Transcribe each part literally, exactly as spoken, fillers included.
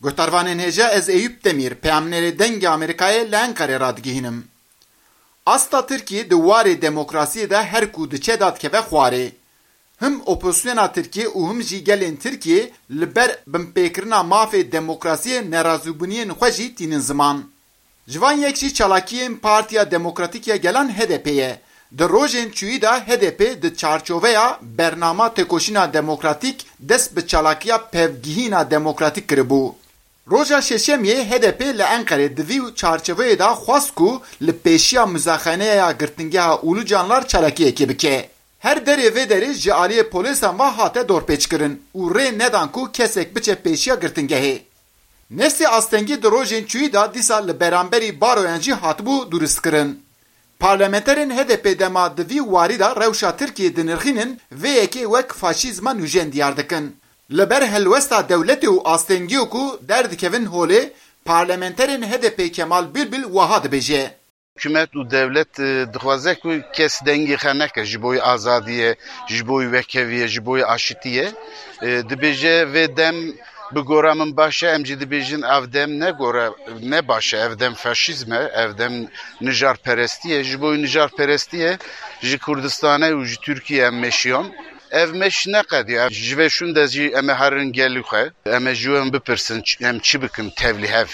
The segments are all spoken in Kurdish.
Guhdarvanên hêja, ez Eyûp Demîr, peyamnêrê Dengê Amerîkayê li Enqerê radigihînim. Asta Tirkiyê di warê demokrasiyê de her ku diçe dadikeve xwarê. Him opozisyona Tirkiyê û him jî gelên Tirkiyê li ber binpêkirina mafê demokrasiyê nerazîbûniyên xwe jî tînin ziman. Ji van yek jî çalakiyên Partiya Demokratîk ya Gelan H D P ye. Di rojên çûyî de H D P di çarçoveya bernama têkoşîna demokratîk dest bi çalakiya pevgihîna demokratîk kiribû. Roja Şeşemiyê H D P li Enqerê di vî çarçoveyê de xwest ku li pêşiya muzaxaneya girtingeha Ulucanlar çalakiyekê bike. Her derê vê derê ji aliyê polîsan ve hate dorpêçkirin û rê nedan ku kesek biçe pêşiya girtingehê. Nestê astengî di rojên çûyî de dîsa li beramberî baroyan jî hatibû dûristkirin. Parlamenterên H D P dema di vî warî de rewşa Tirkiyê dinirxînin, vê yekê wek faşîzma nûjen diyar dikin. Li ber helwesta dewletê û astengiyê ku derdikevin holê, parlamenterên H D P Kemal Bîlbîl wiha dibêje. Hikûmet û dewlet, e, dixwaze ku kes dengê xwe neke ji bo azadiyê, ji bo wekeviyê, ji bo aşitiyê. E, dibêje vê dem bi gora min baş e, em jî dibêjin ev dem ne gora, ne baş e, ev dem faşîzm e, ev dem nijarperestî ye. Ji bo nijarperestiyê ji Kurdistanê û ji Tirkiyê em meşiyan. Ev meş neqediya. Ji vê şûn de jî em ê herin gelî xwe. Em ê ji wan bipirsin, ç-, em çi bikin tevlî hev?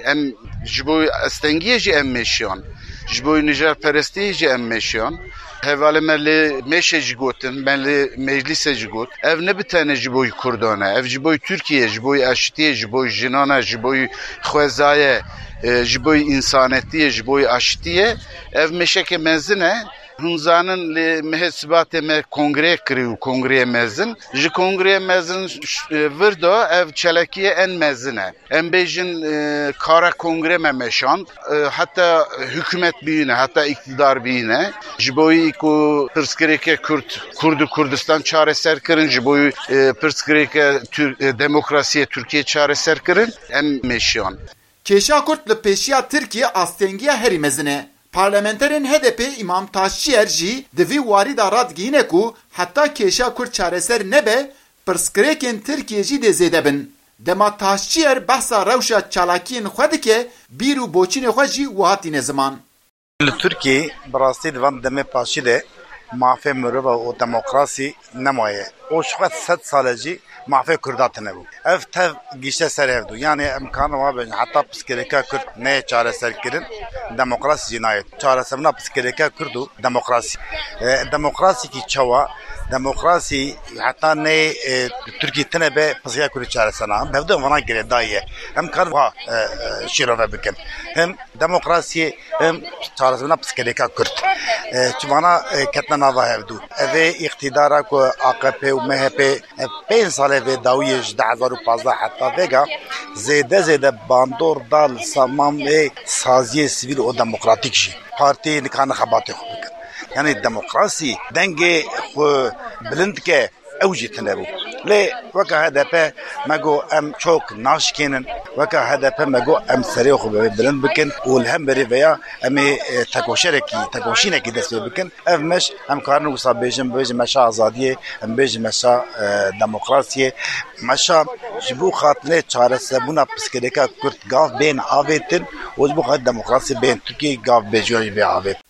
Em ji bo astengiyê jî em meşiyan. Ji bo nijarperestiyê jî em meşiyan. Hevalê me li mêşê jî gotin, me li meclîsê jî got. Ev ne bi tenê ji bo Kurdan e. Ev ji bo Tirkiyê, ji bo aşitiyê, ji bo jinan e, ji bo xwezayê, e, ji bo însanetiyê, ji bo aşitiyê. Ev meşeke mezin e. Hûn zanin lê mehê Sibatê me kongreyê kirî û kongreyê mezin. Ji kongreyê mezin ş-, e, vir de ev çalakiyê en mezin e. Em bêjin, e, kara kongre me meşand, e, heta hikûmet bîne, heta îktidar bîne. Ji bo ku pirsgirêkê Kurd, Kurd û Kurdistan çareser kirin, ji bo, e, pirsgirêkê Tür-, e, demokrasiyê Tirkiyê çareser kirin, em meşiyan. Kêşa Kurd li pêşiya Tirkiyê astengiya herî mezin e. Parlamenterên H D P Îmam Taşçiyer jî di vî warî de radigihîne ku heta kêşa Kurd çareser nebe, pirsgirêkên Tirkiyê jî dê zêde bin. Dema Taşçiyer behsa rewşa çalakiyên xwe dike, bîr û boçînê xwe jî wiha tîne ziman. Li Tirkiyê bi rastî di van demê paşî de mafê mirova û demokrasî nemaye. Û ji xwe sed sal e jî mafê Kurda tune bû. Ev tev gişte ser hev dû. Yanî em karin wa bêjin heta pirsgirêka Kurd neyê çareser kirin, demokrasî jî nayê. Çareserina pirsgirêka Kurd û demokrasî. E, demokrasîkî çawa? Demokrasî heta neyê, e, Tirkî tune be pirsgirêka Kurd çareser nakin. Hevdu em vana girêdayî ye. Em karin wa, e, e, şîrove bikin. Hem demokrasiyê hem çareserina pirsgirêka Kurd. E, çi vana, e, ketine nava hevdu. Evê îqtîdara ku A K P û M H P, e, pênc salê vê dawiyê ji du hezar û pazdeh heta vêga zêde zêde bandor da li semamê saziyê sivîl û demokratîk jî. Partî nikarin xebatê xwe bikin. Yanî demokrasî dengê xwe bilind dike, ew jî tune bû. Lê weke H D P me got em çok naşkênin, weke H D P me got em serê xwe bi vê bilind bikin û li hemberî veya em ê, e, tekoşerekî, tekoşînekî dest pê bikin. Ev meş em karin wisa bêjin, bêjin meşa azadiyê, em bêjin meşa, e, demokrasiyê. Meşa ji bo xatinê çareserbûna pirsgirêka Kurd gav bên avêtin û ji bo xatinê demokrasiyê bên Tirkiyê gav bêjiya jî bê avêtin.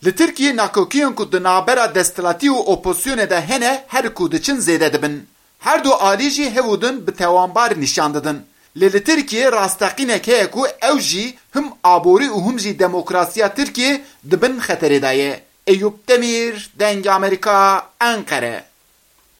Li Tirkiyê nakokiyên ku di navbera desthilatî û opozisyonê de hene her ku diçin zêde dibin. Her du alî jî hev û din bi tewanbar nîşan didin. Lê li Tirkiyê rasteqînek heye ku ew jî him aborî û him jî demokrasiya Tirkiyê di bin xeterê de ye. Eyûp Demîr, Dengê Amerîka, Enqere.